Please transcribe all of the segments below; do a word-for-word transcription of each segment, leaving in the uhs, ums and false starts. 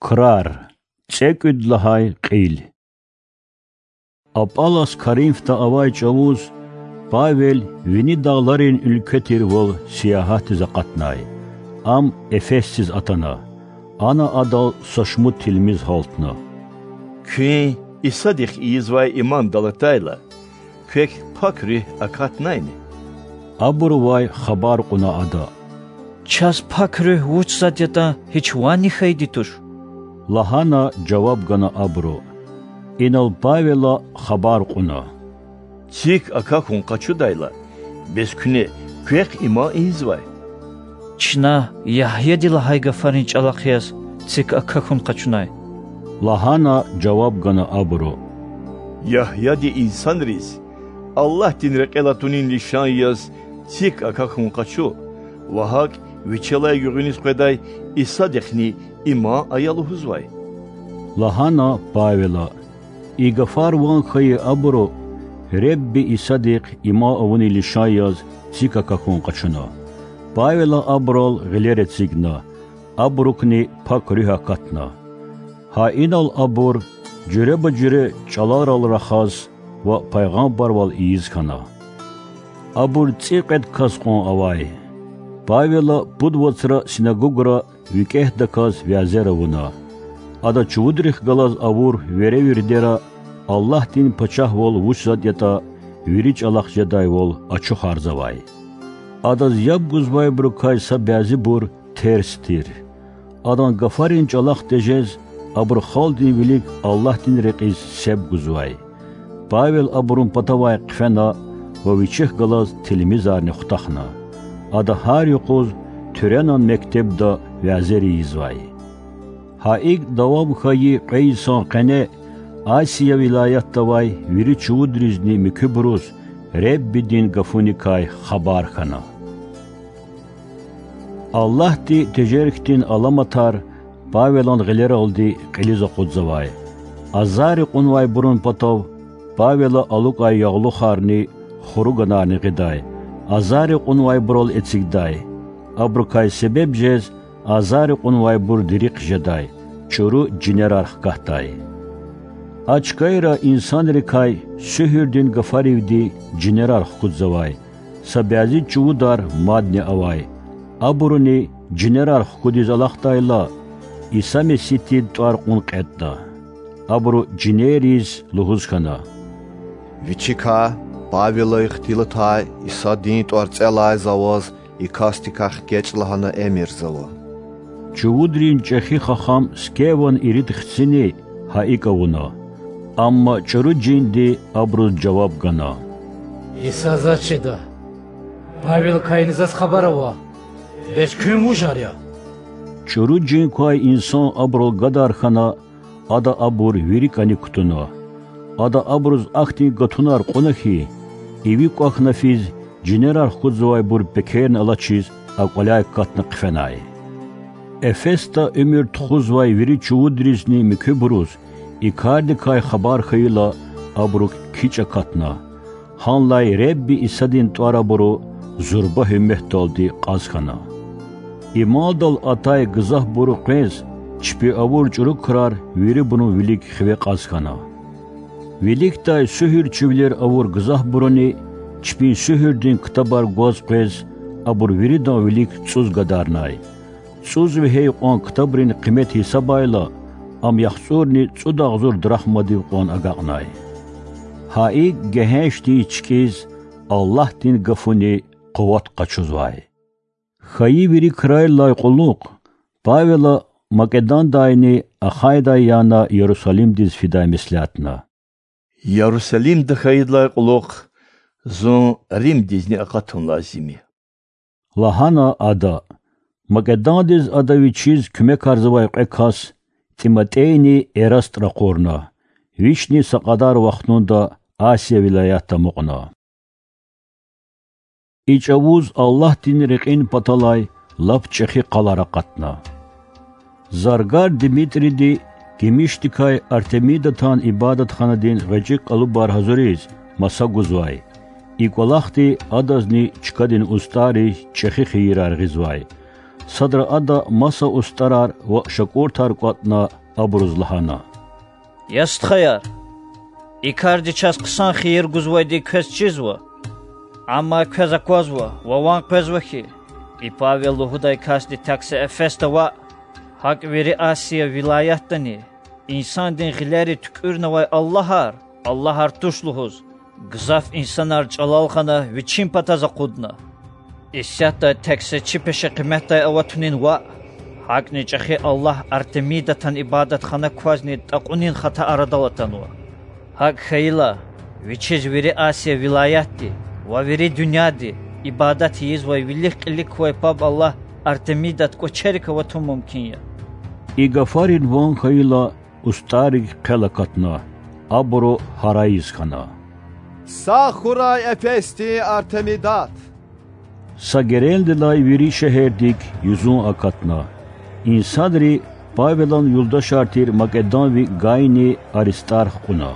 Крар. ЦӀекӀуьд лагьай кьил. Апалас Коринфда авай чӀавуз Павел вини дагъларин уьлкве тирвал сиягьатдиз акъатнай. Ам Эфесдиз атана. Ана адал са шумуд тилмиз гьалтна. Куьн Исадихъ ийизвай иман далатайла, квек Пак Руьгь акатнайни? Абурувай хабар кьуна ада. Чаз Пак Руьгь вуч затӀ ятӀа гьич ванни хьайиди туш,— лагьана жаваб гана абуру. Инал Павела хабар кьуна: Цик акахьун къачудайла, бес куьне квехъ иман ийизвай? Чна Ягьяди лагьай гафарин чӀалахъ яз цик акахьун къачунай,— лагьана жаваб гана абуру. Ягьяди инсанриз Аллагьдин рекьел атунин лишан яз цик акахьун къачу ва гьакӀ вичелай гуьгъуьниз къведай Исадихъни иман ая лугьузвай,— лагьана Павела. И гафар ван хьайи абуру Худа Исадихъ иман авунин лишан яз цик акахьун къачуна. Павела абурал гъилер эцигна, абурукни Пак Руьгь акатна. Гьа инал абур жуьреба-жуьре чӀаларал рахаз ва пайгъамбарвал ийиз хьана. Абур цӀикьвед кас кьван авай. Павела пуд вацра синагогра викӀегьдаказ вязер авуна. Ада чувудрихъ галаз авур веревирдера Аллагьдин пачагьвал вуч затӀ ятӀа вири чӀалахъ жедайвал ачухарзавай. Адаз яб гузвайбурукай са бязибур терс тир. Адан гафарин чӀалахъ тежез, абуру халкьдин вилик Аллагьдин рекьиз себ гузвай. Павел абурун патавай хъфена ва вичихъ галаз тилмизарни хутахна. Ада гьар юкъуз Туьренан мектебда вязер ийизвай. Гьа икӀ давам хьайи кьве йисан къене Асия вилаятда авай вири чувудризни муькуьбуруз Худадин гафуникай хабар хьана. Аллагьди тежер хьтин аламатар Павелан гъилералди кьилиз акъудзавай. Азарри кьунвайбурун патав Павела алукӀай ягълухарни хуруганарни гъидай, азарри кьунвайбурал эцигдай. Абурукай себеб жез азарри кьунвайбур дерихъ жедай, чӀуру жинерар хкатдай. А чкайра инсанрикай суьгьуьрдин гафаривди жинерар хкудзавай, са бязи чувудар мадни авай. Абуруни жинерар хкудиз алахъдайла, Иса Месигьдин тӀвар кьун кьетӀда. Абуру жинерриз лугьуз хьана: Вичикай Павела ихтилатай Исадин тӀварцӀелай за ваз и касдикай хкечӀ лагьана эмирзава. Чувудрин чӀехи хахам Скеван ирид хцини гьа икӀ авуна. Амма чӀуру жинди абуруз жаваб гана: Иса заз чида. Павелакайни заз хабар ава. Бес куьн вужар я? ЧӀуру жин квай инсан абурал гадар хьана, ада абур вири кӀаник кутуна. Ада абуруз ахьтин гатунар кьуна хьи, иви кӀвахьна физ, жинерар хкудзавайбур пекерни алачиз а кӀваляй катна хъфенай. Эфесда уьмуьр тухузвай вири чувудризни муькуьбуруз и кардикай хабар хьайила, абуру кичӀ акатна. Гьанлай Худа Исадин тӀвар абуру зурба гьуьрметдалди кьаз хьана. Имандал атай гзафбуру къвез, чпи авур чӀуру крар вирибурун вилик хиве кьаз хьана. Виликдай суьгьуьрчивилер авур гзафбуруни чпин суьгьуьрдин ктабар гваз къвез, абур виридан вилик цӀуз гадарнай. ЦӀуз вегьей кьван ктабрин къимет гьисабайла, ам яхцӀурни цӀуд агъзур драхмадив кьван агакьнай. Гьа икӀ гегьеншдиз чкӀиз Аллагьдин гафуни къуват къачузвай. Хьайи вири крарилай кьулухъ Павела Македондайни Ахайдай яна Ярусалимдиз фидай меслятна. Ярусалимда хьайидалай кьулухъ зун Римдизни акъатун лазим я,— лагьана ада. Македондиз ада вичиз куьмекарзавай кьве кас, ТӀиматӀейни Эраст ракъурна. Вични са кьадар вахтунда Асия вилаятда амукьна. И чӀавуз Аллагьдин рекьин паталай лап чӀехи къалар акъатна. Заргар Димитриди гимишдикай Артемидатан ибадатханадин гъвечӀи кӀалубар гьазуриз маса гузвай. И кӀвалахди адазни чкадин устӀарриз чӀехи хийирар гъизвай. Садра Ада маса устӀарар ва шакӀуртар кӀватӀна, абуруз лагьана: Я стхаяр, и карди чаз хъсан хийир гузвайди квез чизва. Амма квез аквазва ва ван къвезва хьи, и Павел лугьудай касди тек са Эфесда ваъ, гьакӀ вири Асия вилаятдани, инсандин гъилери туькӀуьрнавай аллагьар аллагьар туш лугьуз, гзаф инсанар чӀалал гъана, вичин патаз акъудна. Исятда тек са чи пешекъимет аватунин ваъ, гьакӀни чӀехи аллагь Артемидатан ибадатхана квазни тӀакьунин хата арадал атанва. ГьакӀ хьайила, вичиз вири Асия вилаятди ва вири дуьньяди ибадат ийизвай вилик-кьилик квай паб аллагь Артемидат кӀвачерик аватун мумкин я. И гафарин ван хьайила, устӀаррик хъел акатна, абуру гьарайиз хьана: Сагъ хьурай Эфесдин Артемидат! Са герендилай вири шегьердик юзун акатна. Инсанри Павелан юлдашар тир македонви Гайни Аристарх кьуна.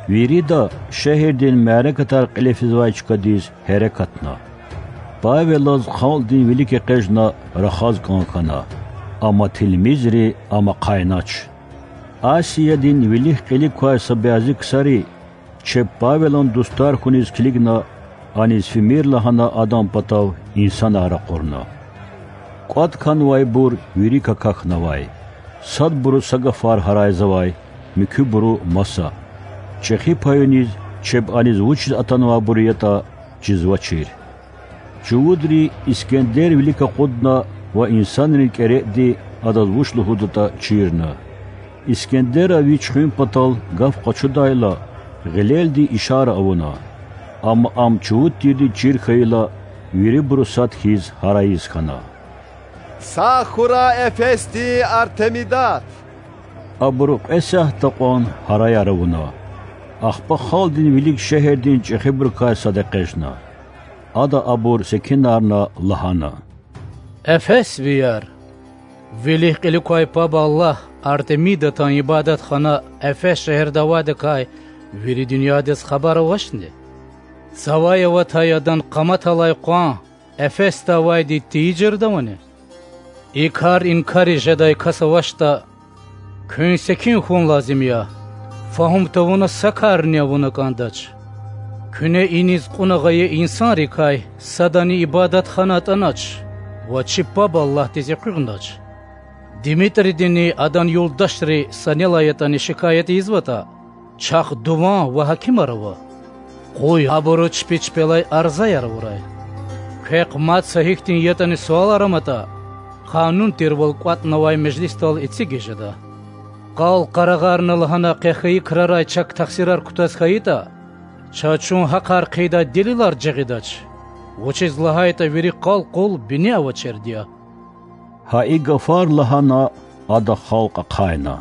Вирида шегьердин мярекатар кьиле физвай чкадиз гьерекатна. Павелаз халкьдин вилик экъечӀна рахаз кӀан хьана, амма тилмизри ам ахъайнач. Асиядин вилик-кьилик квай са бязи ксари, чеб Павелан дустар хьуниз килигна, аниз фимир лагьана адан патав инсанар ракъурна. КӀватӀ хьанвайбур вири какахьнавай. Садбуру са гафар гьарайзавай, муькуьбуру маса. ЧӀехи паюниз чеб аниз вучиз атанвайбур ятӀа чизвачир. Чувудри Искендер вилик акъудна ва инсанрин кӀеретӀди адаз вуч лугьудатӀа чирна. Искендера вич хуьн патал гаф къачудайла, гъилелди ишара авуна. Амма ам чувуд тирди чир хьайила, вирибуру сад хьиз гьарайиз хьана: Сагъ хьурай Эфесдин Артемидат! Абуру кьве сятда кьван гьараяр авуна. Ахпа халкьдин вилик шегьердин чӀехибурукай сад экъечӀна. Ада абур секинарна лагьана: Эфесвияр! Вилик-кьилик квай паб аллагь Артемидатан ибадатхана Эфес шегьерда авайдакай вири дуьньядиз хабар авачни? Цавай аватай адан къаматалай къван Эфесда авайди тийижирда авани? И кар инкариз жедай кас авачтӀа, куьн секин хьун лазим я, фагьум тавуна са карни авуна кӀандач. Куьне иниз кьуна гъайи инсанрикай садани ибадатхана атӀанач ва чи паб Аллагьдиз экъуьгънач. Димитридини адан юлдашри санелай ятӀани шикаят ийизватӀа, чахъ дуван ва гьакимар ава. Къуй абуру чпи чпелай арзаяр авурай. Квехъ мад са гьихьтин ятӀани суалар аматӀа, къанун тирвал кӀватӀнавай межлисдал эцигиз жеда. Къал къарагъарна лагьана къе хьайи крарай чак тахсирар кутаз хьайитӀа, чаз чун гьахъар хъийидай делилар жагъидач, вучиз лагьайтӀа вири къал къул бини авачирди я. Гьа и гафар лагьана, ада халкь ахъайна.